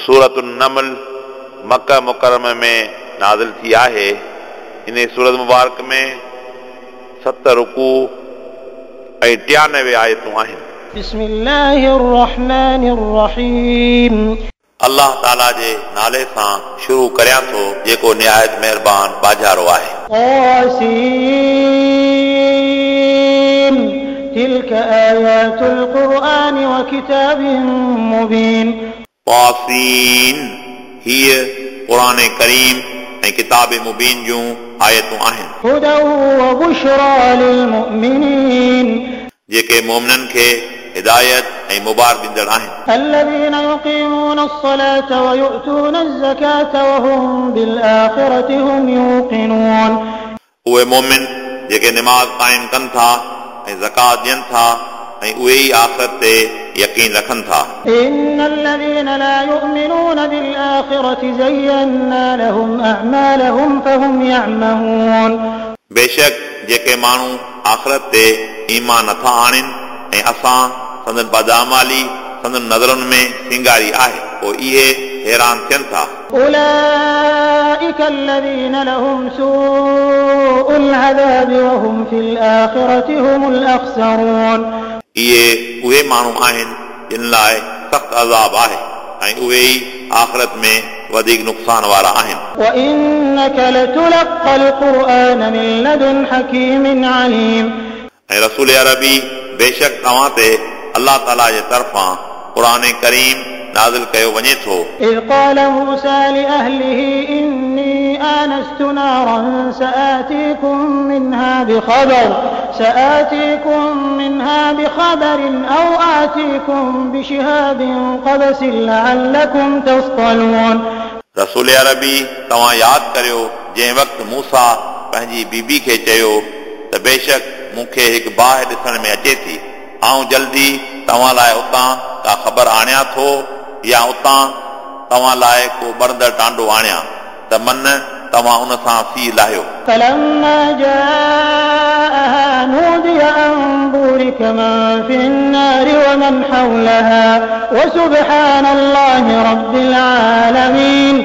سورة النمل مڪه مڪرمه ۾ نازل ٿي آهي. ان سورت مبارڪ ۾ 7 رڪوع ۽ 93 آيتون آهن. بسم الله الرحمن الرحيم. الله تعاليٰ جي نالي سان شروع ڪريان ٿو جيڪو نهايت مهربان ٻاجهارو آهي. طاسين تلك آيات القرآن وڪتاب مبين. طاسين هيء قرآن ڪريم ۽ ڪتاب مبين جون آيتون آهن. هدى وبشريٰ للمؤمنين. جيڪي مؤمنن کي هدايت ۽ مبارڪ ڏيندڙ آهن. الذين يقيمون الصلاة ويؤتون الزكاة وهم بالآخرة هم يوقنون. اهي مؤمن جيڪي نماز قائم ڪن ٿا ۽ زڪوات ڏين ٿا ۽ اهي ئي آخرت تي يقين رکن ٿا. إن الذين لا يؤمنون بالآخرة زينا لهم أعمالهم فهم يعمهون. بيشڪ جيڪي ماڻهو آخرت تي ايمان نٿا آڻين ۽ اسان سندن بداعمالي سندن نظرن ۾ سينگاري آهي، پوءِ اهي حيران ٿين ٿا. أولئك الذين لهم سوء العذاب وهم في الآخرة هم الأخسرون. اهي اهي ماڻهو آهن جن لاءِ سخت عذاب آهي ۽ اهي ئي آخرت ۾ وڌيڪ نقصان وارا آهن. وإنك لتلقى القرآن من لدن حڪيم عليم. ۽ رسول عربي بيشڪ توهان تي الله تعاليٰ جي طرفان قرآن ڪريم نازل ڪيو وڃي ٿو. إذ قال موسى لأهله إني آنست نارا سآتيكم منها بخبر أو آتيكم بشهاب قبس لعلكم تصطلون. رسول عربي توهان ياد ڪريو جنهن وقت موسيٰ پنهنجي بيبي کي چيو ته بيشڪ مون کي هڪ باهه ڏسڻ ۾ اچي ٿي، آئون جلدي توهان لاءِ اتان ڪا خبر آڻيان ٿو يا اتان توهان لاءِ ڪو ٻرندڙ ٽانڊو آڻيان ته من توهان ان سان سيءُ لاهيو. فلما جاءها نودي أن بورك من في النار ومن حولها وسبحان الله رب العالمين.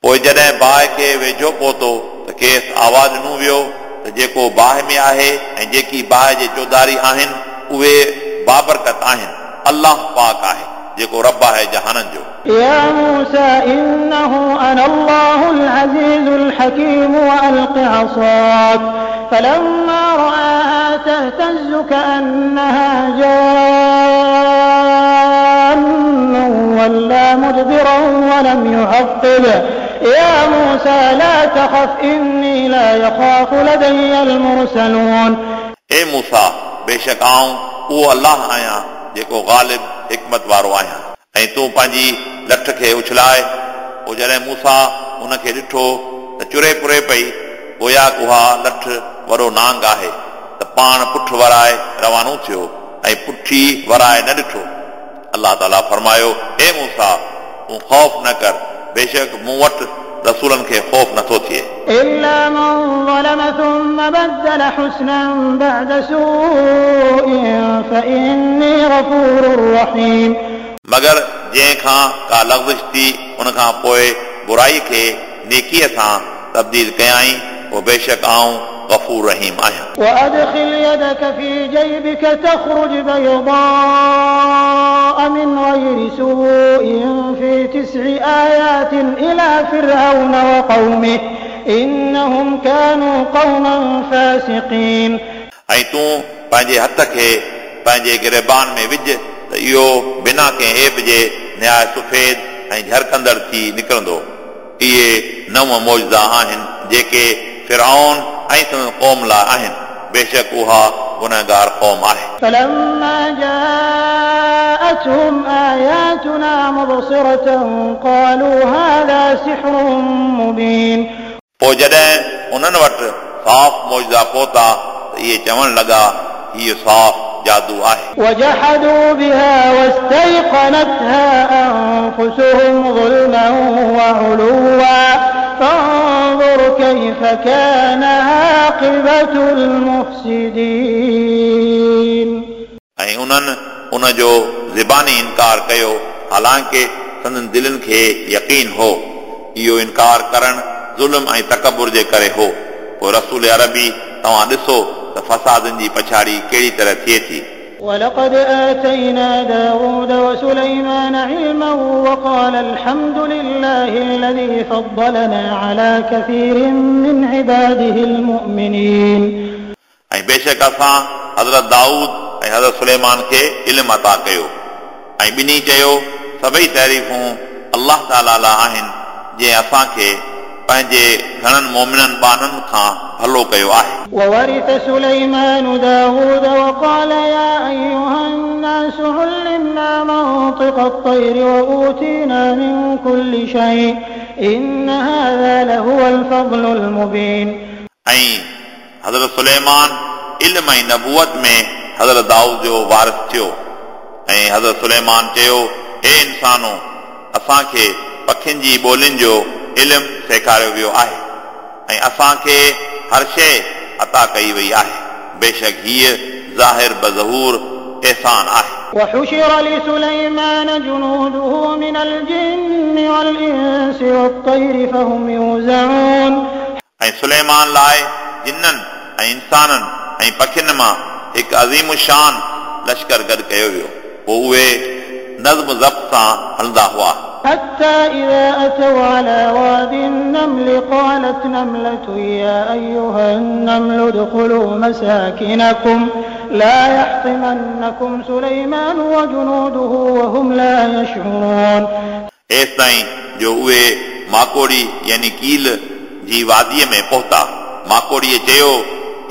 پوءِ جڏهن باهه کي ويجهو پهتو ته کيس آواز ڏنو ويو ته جيڪو باهه ۾ آهي ۽ جيڪي باهه جي چوڌاري آهن اهي بابرڪت آهن، الله پاڪ آهي جيڪو رب آهي جهانن جو. يا موسى إنه أنا الله العزيز الحكيم وألق عصاك فلما رآها تهتز كأنها جان ولى مدبرا ولم يعقب يا موسى لا تخف إني لا يخاف لدي المرسلون. اي موسيٰ بيشڪ آئون اهو الله آهيان جيڪو غالب حڪمت وارو آهيان ۽ تون پنهنجي لٺ کي اڇلائي. پوءِ جڏهن موسيٰ ان کي ڏٺو ته چري پري پئي، گويا اها لٺ وڏو نانگ آهي، ته پاڻ پٺ ورائي روانو ٿيو ۽ پٺي ورائي نه ڏٺو. الله تعاليٰ فرمايو، اي موسيٰ تون خوف نه ڪر، بيشڪ مون وٽ رسولن کي خوف نٿو ٿئي. إلا من ظلم ثم بدل حسنا بعد سوء فإني غفور رحيم. مگر جنهن کان ڪا لغزش ٿي ان کان پوءِ برائي کي نيڪيءَ سان تبديل ڪيائين، پوءِ بيشڪ آئون غفور رحيم آهيان. وأدخل يدك في جيبك تخرج بيضاء من غير سوء في 9 آيات إلى فرعون وقومه إنهم كانوا قوما فاسقين. ऐं तूं पंहिंजे हथ खे पंहिंजे गिरेबान में विझ त इहो बिना कंहिं ऐब जे निहायत सफ़ेद ऐं झरकंदड़ थी निकिरंदो। इहे 9 मौजज़ा आहिनि जेके फिरऔन ऐं संदसि क़ौम लाइ आहिनि, बेशक उहा गुनहगार क़ौम आहे। فلما جاءتهم آياتنا مبصرة قالوا هذا سحر مبين. पोइ जॾहिं उन्हनि वटि साफ़ मौजज़ा पहुता त इहे चवणु लॻा, हीउ साफ़ जादू आहे। وجحدوا بها واستيقنتها أنفسهم ظلما وعلوا فانظر كيف كان عاقبة المفسدين. ऐं उन्हनि उन जो ज़बानी इनकार कयो, हालांकि संदन दिलनि खे यकीन हो। इहो इनकार करणु ज़ुल्म ऐं तकबुर जे करे हो। पोइ रसूल अरबी तव्हां ॾिसो त फसादनि जी पछाड़ी कहिड़ी तरह थिए थी। ولقد آتينا داود وسليمان علما وقال الحمد لله الذي فضلنا على كثير من عباده المؤمنين। ऐं बेशक असां हज़रत दाऊद ऐं हज़रत सुलेमान खे इल्मु अता कयो ऐं ॿिन्ही चयो सभई तारीफ़ूं अलाह ताला लाइ आहिनि जंहिं असांखे पंहिंजे घणनि मोमिननि ॿारनि खां भलो कयो आहे। وورث سليمان داود وقال يا أيها الناس علمنا منطق الطير وأوتينا من كل شيء إن هذا لهو الفضل المبين। ऐं हज़रत सुलेमान इल्म ऐं नबूअत में हज़रत दाऊद जो वारिस थियो। ऐं हज़रत सुलेमान चयो, हे इंसानो, असांखे पखियुनि जी ॿोलियुनि जो इल्मु सेखारियो वियो आहे ऐं असांखे हर शइ अता कई वई आहे। बेशक हीअ ज़ाहिर बज़हूर एहसान आहे। وحشر لسليمان جنوده من الجن والإنس والطير فهم يوزعون। ऐं सुलेमान लाइ जिन्ननि ऐं इंसाननि ऐं पखियुनि मां हिकु अज़ीम शान लश्कर गॾु कयो वियो। पोइ उहे नज़्म ज़ब्त सां हलंदा हुआ। حتى إذا أتوا على واد النمل قالت نملة يا أيها النمل ادخلوا مساكنكم لا يحطمنكم سليمان وجنوده وهم لا يشعرون। एसिताईं जो उहे माकोड़ी यानी कील जी वादीअ में पहुता। माकोड़ीअ चयो,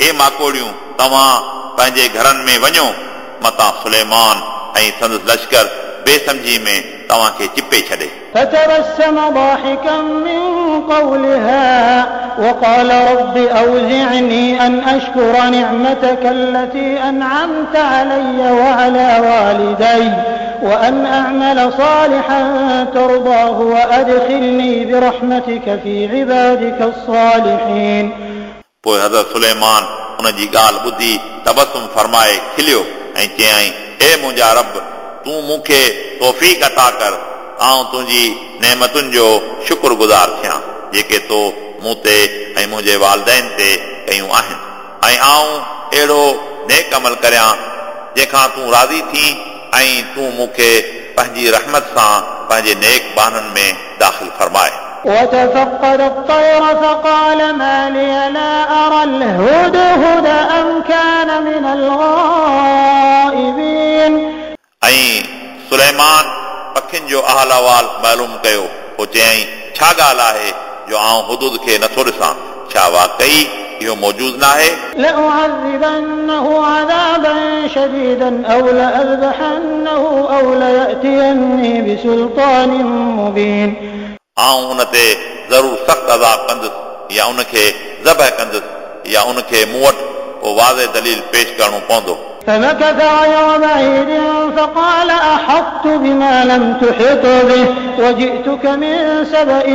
हे माकोड़ियूं, तव्हां पंहिंजे घरनि में वञो, मतां सुलेमान ऐं संदसि लश्कर बेसमझी में तव्हांखे चिपे छॾे। فتبسم ضاحكا من قولها وقال رب أوزعني أن أشكر نعمتك التي أنعمت علي وعلى والدي وأن أعمل صالحا ترضاه وأدخلني برحمتك في عبادك الصالحين। पोइ हज़रत सुलेमान उन जी ॻाल्हि ॿुधी तबसुम फरमाए खिलियो ऐं चयाईं, हे मुंहिंजा रब, तूं मूंखे तौफ़ीक़ अता कर, आउं तुंहिंजी नेमतुनि जो शुक्रगुज़ार थियां जेके तो मूं ते ऐं मुंहिंजे वालदैन ते कयूं आहिनि, ऐं आउं अहिड़ो नेक अमल करियां जंहिंखां तूं राज़ी थी ऐं तूं मूंखे पंहिंजी रहमत सां पंहिंजे नेक ॿारनि में दाख़िल फरमाए। وتفقد الطير فقال ما لي لا أرى الهدهد أم كان من الغائبين। ऐं सुलेमान पखियुनि जो अहल अहवाल मालूम कयो। पोइ चयाईं, छा ॻाल्हि आहे जो आउं हुदूद खे नथो ॾिसां? छा वाकई इहो मौजूद न आहे? لأعذبنه عذابا شديدا أو لأذبحنه أو ليأتيني بسلطان مبين। आउं उन ते ज़रूरु सख़्तु अज़ाब कंदुसि या उनखे ज़बह कंदुसि या उनखे मूं वटि को वाज़े दलील पेश करिणो पवंदो। فمكث غير بعيد فقال أحطت بما لم تحط به وجئتك من سبأ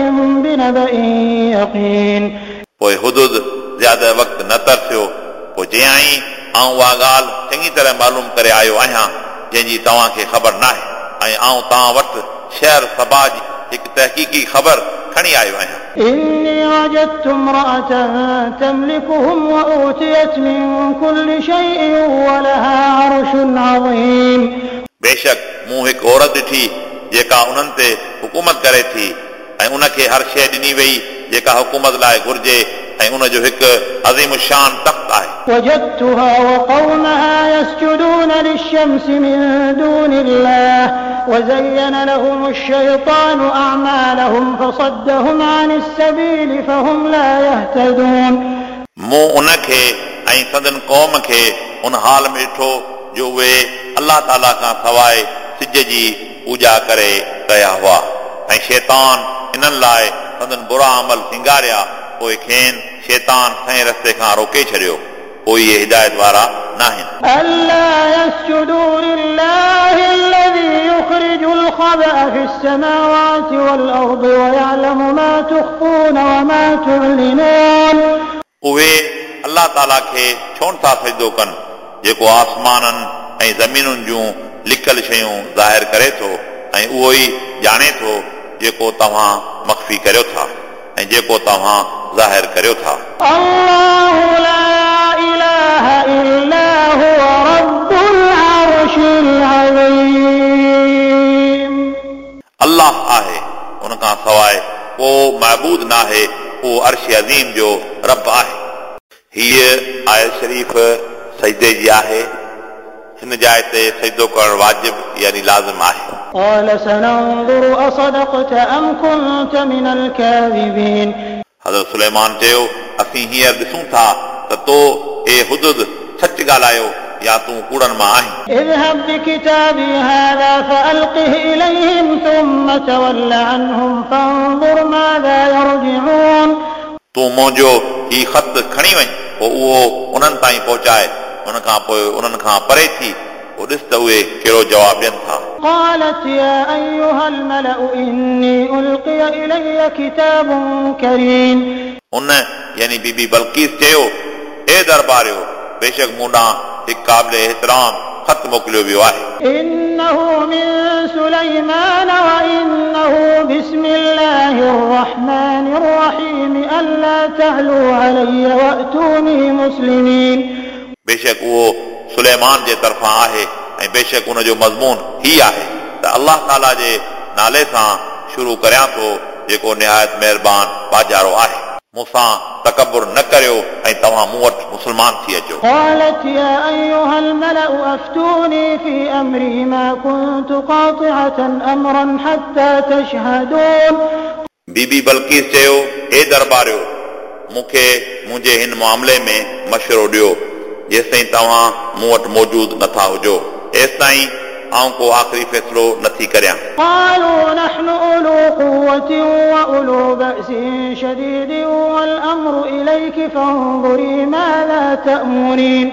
بنبأ يقين। पोइ हुदूद ज़्यादा वक़्तु न तरसियो। पोइ चयाईं, आउं उहा ॻाल्हि चङी तरह मालूम करे आयो आहियां जंहिंजी तव्हांखे ख़बर न आहे, ऐं आउं तव्हां वटि शहर सबा जी हिकु तहक़ीक़ी ख़बर खणी आयो आहियां। إني وجدت امرأة تملكهم وأوتيت من كل شيء ولها عرش عظيم। बेशक मूं हिकु औरत ॾिठी जेका उन्हनि ते हुकूमत करे थी ऐं उनखे हर शइ ॾिनी वई जेका हुकूमत लाइ घुर्जे ऐं उन जो हिकु अज़ीम शान तख़्त आहे। وجدتها وقومها يسجدون للشمس من دون الله وزين لهم الشيطان أعمالهم فصدهم عن السبيل فهم لا يهتدون। मूं उनखे ऐं संदन क़ौम खे उन हाल में ॾिठो जो उहे अलाह ताला खां सवाइ सिज जी पूॼा करे रहिया हुआ ऐं शैतान इन्हनि लाइ संदन बुरा अमल सिंगारिया, पोइ खेनि शैतान सही रस्ते खां रोके छॾियो, पोइ इहे हिदायत वारा न आहिनि। ألا يسجدوا لله الذي يخرج الخبأ في السماوات والأرض ويعلم ما تخفون وما تعلنون। उहे अलाह ताला खे छो नथा सजदो कनि जेको आसमाननि ऐं ज़मीनुनि जूं लिकल शयूं ज़ाहिर करे थो ऐं ऐं उहो ई ॼाणे थो जेको तव्हां मख़फ़ी करियो था ऐं जेको तव्हां ज़ाहिर करियो था। الله لا إله إلا هو رب العرش العظيم। अल्लाह आहे, उन खां सवाइ को महबूद नाहे, उहो अर्श अज़ीम जो रब आहे। हीअ आयत शरीफ़ सजदे जी आहे। हिन जाइ ते सजदो करणु वाजिब यानी लाज़िम आहे। قال سننظر أصدقت أم كنت من الكاذبين। हज़रत सुलेमान चयो, असीं हींअर ॾिसूं था त तो ए हुदुद सच ॻाल्हायो या तूं कूड़नि मां आहीं। اذهب بكتابي هذا فألقه إليهم ثم تول عنهم فانظر ماذا يرجعون। तूं मुंहिंजो ही ख़त खणी वञ, पोइ उहो उन्हनि ताईं पहुचाए, उन खां पोइ उन्हनि खां परे थी, पोइ ॾिस त उहे कहिड़ो जवाबु ॾियनि था। قالت يا أيها الملأ إني ألقي إلي كتاب كريم। उन यानी बीबी बल्कीस चयो, ए दरबारियो, बेशक मूं ॾांहुं हिकु क़ाबिल एतिराम ख़त मोकिलियो वियो आहे। إنه من سليمان وإنه بسم الله الرحمن الرحيم ألا تعلوا علي وأتوني مسلمين। बेशक उहो सुलेमान जे तरफ़ां आहे ऐं बेशक उन जो मज़मून ही आहे त अल्लाह ताला जे नाले सां शुरू करियां थो जेको निहायत महिरबान बाजारो आहे। मूंसां तकबुर न करियो ऐं तव्हां मूं वटि मुस्लमान थी अचो। قالت يا أيها الملأ أفتوني في أمري ما كنت قاطعة أمرا حتى تشهدون। बीबी बल्कीस चयो, ए दरबारियो, मूंखे मुंहिंजे हिन मामले में मशवरो ॾियो जेसिताईं तव्हां मूं वटि मौजूद नथा हुजो, एसिताईं आउं को आख़िरी फ़ैसिलो नथी करियां। قالوا نحن أولو قوة وأولو بأس شديد والأمر إليك فانظري ماذا تأمرين।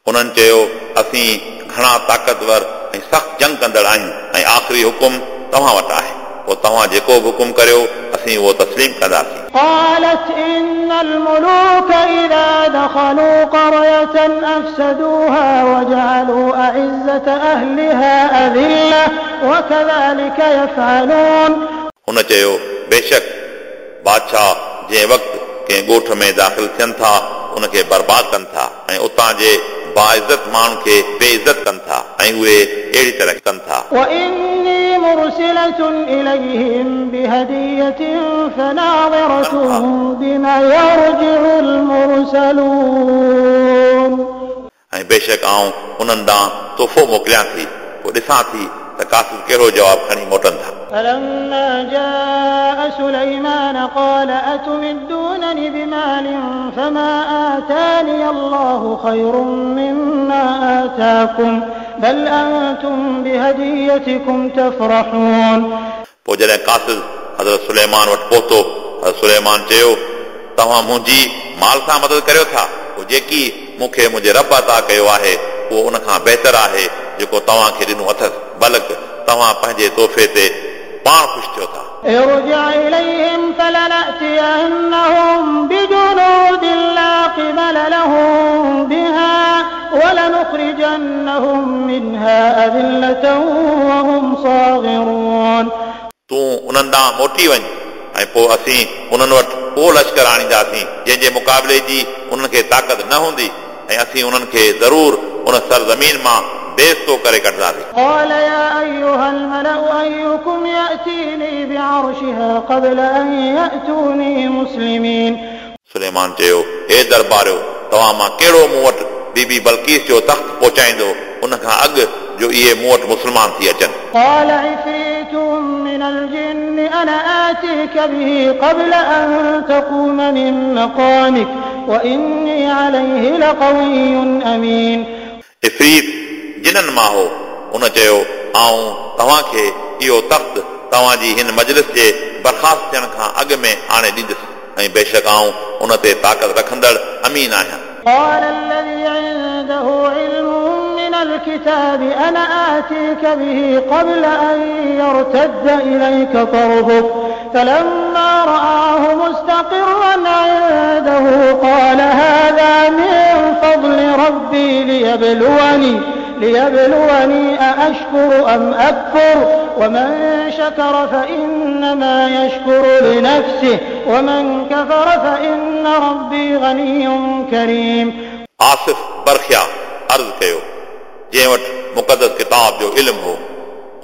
उन्हनि चयो, असीं घणा ताक़तवर ऐं सख़्तु जंग कंदड़ आहियूं ऐं आख़िरी हुकुम तव्हां वटि आहे, पोइ तव्हां जेको बि हुकुम करियो असीं उहो तस्लीम कंदासीं। قالت إن الملوك إذا دخلوا قرية أفسدوها وجعلوا أعزة أهلها أذلة وكذلك يفعلون। हुन चयो, बेशक बादशाह जंहिं वक़्तु कंहिं ॻोठ में दाख़िल थियनि था उनखे बर्बाद कनि था ऐं उतां जे बाइज़त माण्हुनि खे बेइज़त कनि था ऐं उहे अहिड़ी तरह कनि था। وإني مرسلة إليهم بهدية فناظرة بما يرجع المرسلون। ऐं बेशक आउं उन्हनि ॾांहुं तोहफ़ो मोकिलियां थी, पोइ ॾिसां थी त कासिद कहिड़ो जवाबु खणी मोटनि था। فلما جاء سليمان قال أتمدونني بمال فما آتاني الله خير مما آتاكم بل أنتم بهديتكم تفرحون। पोइ जॾहिं कासिद हज़रत सुलेमान वटि पहुतो, हज़रत सुलेमान चयो, तव्हां मुंहिंजी माल सां मदद करियो था, पोइ जेकी मूंखे मुंहिंजे रब अता कयो आहे उहो उन खां बहितर आहे जेको तव्हांखे ॾिनो अथसि, बल्कि तव्हां पंहिंजे तोहफ़े ते पाण ख़ुशि थियो था। ارجع إليهم فلنأتينهم بجنود لا قبل لهم بها ولنخرجنهم منها أذلة وهم صاغرون। तूं उन्हनि ॾांहुं मोटी वञ ऐं पोइ असीं उन्हनि वटि उहो लश्कर आणींदासीं जंहिंजे मुक़ाबले जी उन्हनि खे ताक़त न हूंदी ऐं असीं उन्हनि खे ज़रूर उन सरज़मीन मां बेइज़्ज़तो करे कढंदासीं। قال يا أيها الملأ أيكم يأتيني بعرشها قبل أن يأتوني مسلمين। सुलेमान चयो, हे दरबारियो, तव्हां मां कहिड़ो मूं वटि बीबी बल्कीस जो तख़्त पहुचाईंदो उन खां अॻु जो इहे मूं वटि मुस्लमान थी अचनि। قال عفريت من الجن أنا آتيك به قبل أن تقوم من مقامك وإني عليه لقوي أمين। इफ़रीत जिननि मां हो, उन चयो, आउं तव्हांखे इहो तख़्त तव्हांजी हिन मजलिस जे बर्खास्त थियण खां अॻु में आणे ॾींदुसि ऐं बेशक आउं उन ते ताक़त रखंदड़ अमीन आहियां। قال الذي عنده علم من الكتاب أنا آتيك به قبل أن يرتد إليك طرفك فلما رآه مستقرا عنده قال هذا من فضل ربي ليبلوني أأشكر أم أكفر ومن شكر فإنما يشكر لنفسه ومن كفر فإن ربي غني كريم. आसिफ बरखिया अर्ज़ कयो, जंहिं वटि मुक़दस किताब जो इल्मु हो,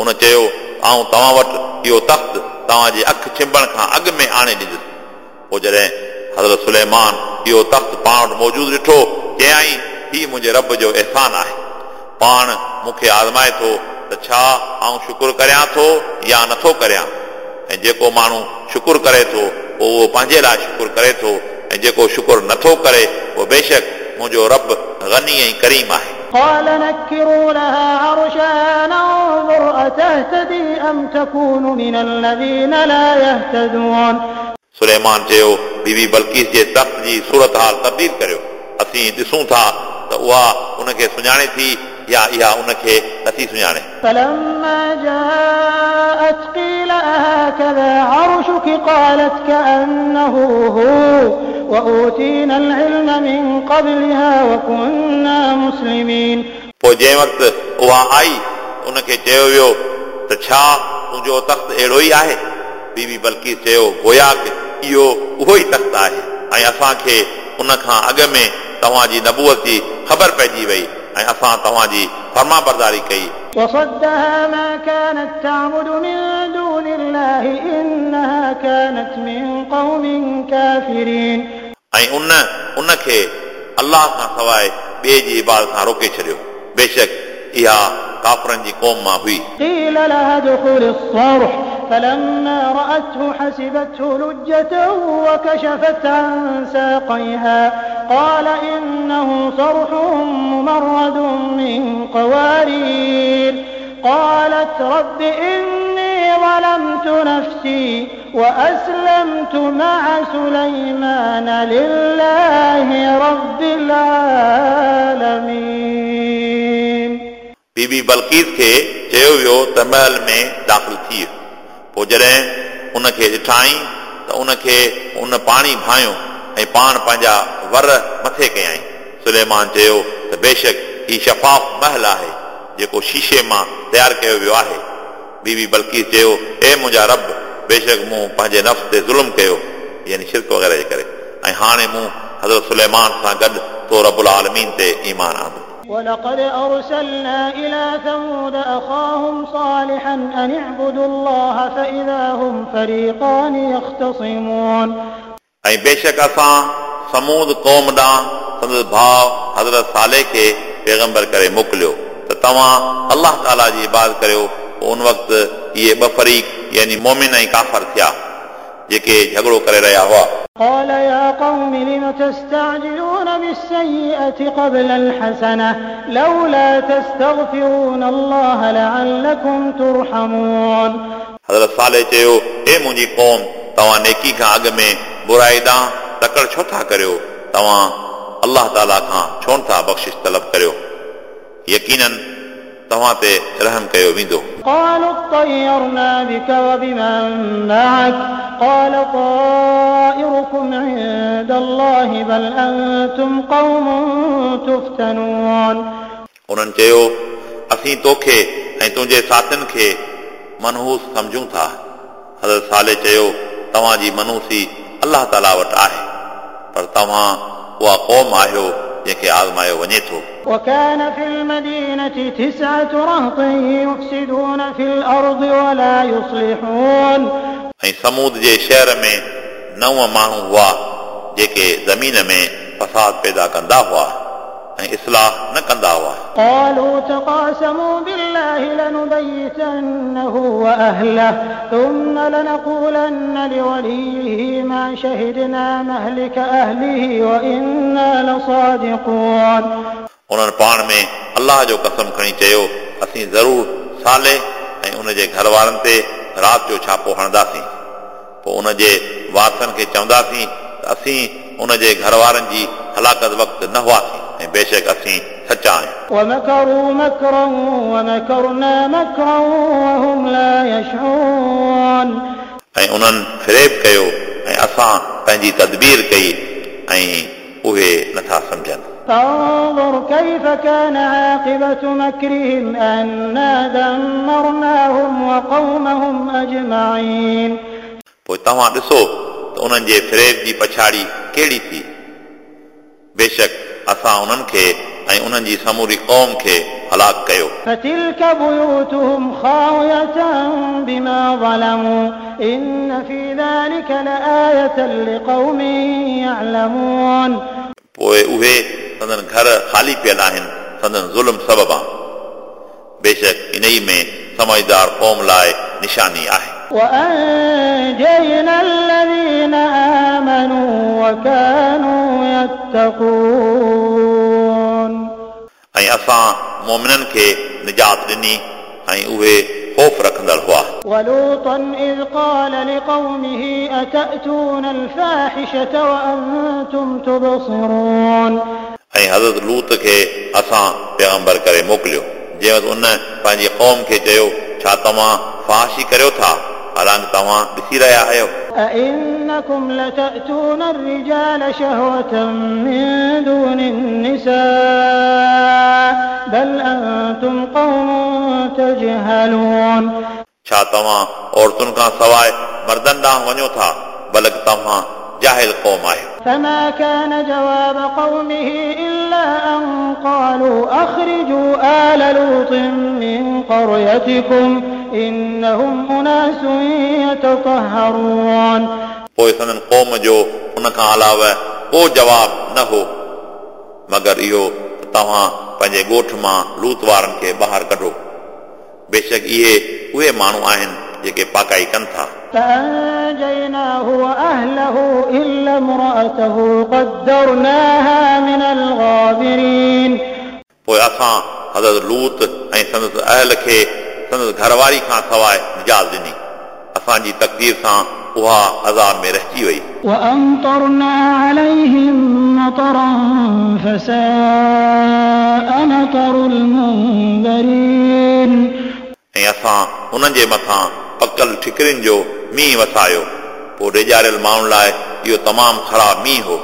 उन चयो आउं तव्हां वटि इहो तख़्त तव्हांजी अखि छिंबण खां अॻु में आणे ॾींदुसि। पोइ जॾहिं हज़रत सुलेमान इहो तख़्त पाण वटि मौजूदु ॾिठो, चयाईं हीउ मुंहिंजे रब जो अहसान आहे, पाण मूंखे आज़माए थो त छा आउं शुक्र करियां थो या नथो करियां। ऐं जेको माण्हू शुक्र करे थो पोइ उहो पंहिंजे लाइ शुक्र करे थो, ऐं जेको शुक्र नथो करे उहो बेशक मुंहिंजो रब गनी ऐं करीम आहे। قال نكروا لها عرشها ننظر أتهتدي أم تكون من الذين لا يهتدون. सुलेमान चयो, बीबी बल्किस जे तख़्त जी सूरत हाल तब्दील करियो, असीं ॾिसूं था त उहा उनखे सुञाणे थी या इहा उनखे नथी सुञाणे। فلما جاءت قيل أهكذا عرشك قالت كأنه هو وأوتينا العلم من قبلها وكنا مسلمين. पोइ जंहिं वक़्तु उहा आई उनखे चयो वियो त छा तुंहिंजो तख़्त अहिड़ो ई आहे? बीबी बल्किस चयो, गोया इहो उहो ई तख़्त आहे, ऐं असांखे उन खां अॻु में तव्हांजी नबूअत जी ख़बर पइजी वई ऐं असां तव्हांजी फर्मा बरदारी कई। وصدها ما كانت تعبد من دون الله إنها كانت من قوم كافرين. ऐं उन उनखे अल्लाह खां सवाइ ॿिए जी इबादत खां रोके छॾियो, बेशक इहा काफ़रनि जी क़ौम मां हुई। قيل لها ادخلي الصرح فلما رأته حسبته لجة وكشفت عن ساقيها قال إنه صرح ممرد من قوارير قالت رب إني ظلمت نفسي وأسلمت مع سليمان لله رب العالمين. बीबी बल्किस खे चयो वियो त महल में दाख़िल थी। पोइ जॾहिं उनखे ॾिठाई त उनखे उन पाणी भायो ऐं पाण पंहिंजा वर मथे कयाईं। सुलेमान चयो त बेशक हीउ शफ़ाफ़ महल आहे जेको शीशे मां तयारु कयो वियो आहे। बीबी बल्किस चयो, ए मुंहिंजा रब, बेशक मूं पंहिंजे नफ़्स ते ज़ुल्म कयो, यानी शिरक वग़ैरह जे करे, ऐं हाणे मूं हज़रत सुलेमान सां गॾु तो रबुल आलमीन ते ईमान आंदो। ولقد أرسلنا إلى ثمود أخاهم صالحا أن اعبدوا الله فإذا هم فريقان يختصمون. ऐं बेशक असां समूद क़ौम ॾांहुं संदसि भाउ हज़रत साले खे पैगंबर करे मोकिलियो त तव्हां अल्लाह ताला जी इबादत करियो। पोइ उन वक़्तु इहे ॿ फ़रीक़ यानी मोमिन ऐं काफ़र थिया जेके झगड़ो करे रहिया हुआ। قال يا قوم لم تستعجلون بالسيئة قبل الحسنة لولا تستغفرون الله لعلكم ترحمون. हज़रत साले चयो, ए मुंहिंजी क़ौम, तव्हां नेकी खां अॻु में बुराई ॾांहुं तकड़ छो था करियो? तव्हां अल्लाह ताला खां छो नथा बख़्शिश तलब करियो? यकीनन तव्हां ते रहम कयो वेंदो। قالوا اطيرنا بك وبمن معك قال طائركم عند الله بل أنتم قوم تفتنون. उन्हनि चयो, असीं तोखे ऐं तुंहिंजे साथियुनि खे मनहूस सम्झूं था। हज़रत साले चयो, तव्हांजी मनहूसी अल्लाह ताला वटि आहे, पर तव्हां उहा क़ौम आहियो जंहिंखे आज़मायो वञे थो। وكان في المدينة 9 رهط يفسدون في الأرض ولا يصلحون. ऐं समूद जे शहर में 9 माण्हू हुआ जेके ज़मीन में फसाद पैदा कंदा हुआ ऐं इस्लाह न कंदा हुआ। قالوا تقاسموا بالله لنبيتنه وأهله ثم لنقولن لوليه ما شهدنا مهلك أهله وإنا لصادقون. उन्हनि पाण में अल्लाह जो कसम खणी चयो, असीं ज़रूर साले ऐं उनजे घर वारनि ते राति जो छापो हणंदासीं, पोइ उनजे वारसनि खे चवंदासीं त असीं उनजे घर वारनि जी हलाकत वक़्तु न हुआसीं ऐं बेशक असीं सचा आहियूं। ومكروا مكرا ومكرنا مكرا وهم لا يشعرون. ऐं उन्हनि फ़रेब कयो ऐं असां पंहिंजी तदबीर कई ऐं उहे नथा सम्झनि। فانظر كيف كان عاقبة مكرهم أنا دمرناهم وقومهم أجمعين. पोइ तव्हां ॾिसो त उन्हनि जे फ़रेब जी पछाड़ी कहिड़ी थी। बेशक असां उन्हनि खे ऐं उन्हनि जी समूरी क़ौम खे हलाक कयो। فتلك بيوتهم خاوية بما ظلموا إن في ذلك لآية لقوم يعلمون. पोइ उहे संदन घर ख़ाली पियल आहिनि संदन ज़ुल्म सबबा। बेशक इन ई में समझदार क़ौम लाइ निशानी आहे। وأنجينا الذين آمنوا وكانوا يتقون. ऐं असां मोमिननि खे निजात ॾिनी ऐं उहे ख़ौफ़ रखंदड़ हुआ। ولوطا إذ قال لقومه أتأتون الفاحشة وأنتم تبصرون. ऐं हज़रत लूत खे असां पैगंबर करे मोकिलियो, जंहिं वक़्तु उन पंहिंजी क़ौम खे चयो, छा तव्हां फ़ाहिशी करियो था हालांकि तव्हां ॾिसी रहिया आहियो? أئنكم لتأتون الرجال شهوة من دون النساء بل أنتم قوم تجهلون. छा तव्हां औरतुनि खां सवाइ मर्दनि ॾांहुं वञो था, बल्कि तव्हां जाहिल क़ौम आहियो। فما كان جواب قومه إلا أن قالوا أخرجوا آل لوط من قريتكم إنهم أناس يتطهرون. पोइ संदन क़ौम जो उन खां अलावा को जवाब न हो मगर इहो त तव्हां पंहिंजे ॻोठ मां लूत वारनि खे ॿाहिरि कढो, बेशक इहे उहे माण्हू आहिनि जेके पाकाई कनि था। فأنجيناه وأهله إلا امرأته قدرناها من الغابرين. पोइ असां हज़रत लूत ऐं संदसि अहल खे संदसि घरवारी खां सवाइ निजात ॾिनी, असांजी तक़दीर सां उहा अज़ाब में रहिजी वई। وأمطرنا عليهم مطرا فساء مطر المنذرين. ऐं असां उन्हनि जे मथां पकल ठिकरियुनि जो मींहुं वसायो, पोइ ॾेॼारियल माण्हुनि लाइ इहो तमामु ख़राबु मींहुं हो।